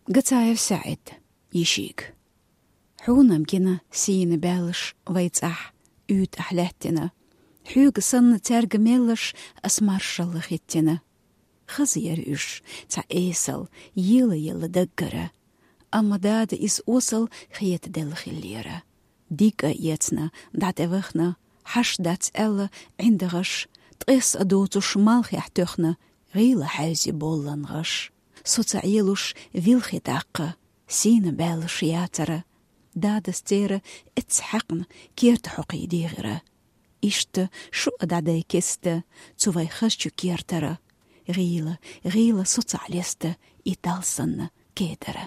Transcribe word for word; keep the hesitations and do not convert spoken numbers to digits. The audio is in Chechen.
Гацаев Саид. Йишиг. Хьунам гина сийна баьлаш вай цӀахь уьйтӀахь лаьттина. Хьоьга санна цаьрга меллаш ас маршалла хӀиттина. Хаза яра уьш цхьа эсал, ела-ела даггара. Амма дада иза осал хетаделла хиллера. Дика эцна, дӀатӀевахна, хьаш дац аьлла, ӀиндагӀаш, ткъес а доцуш малхехь тоьхна, гӀийла хьаьвзи боллан гӀаш. Со ца Ӏелуш вилхи тӀаккха, сийна баьллаш яцара. Дадас церан эцца хьаькъна керта хьокхий дийгӀира. Иштта шу а дӀадай кеста, цу вай хазачу кертара. ГӀийла, гӀийла со ца Ӏелеста, и талсанна кедара.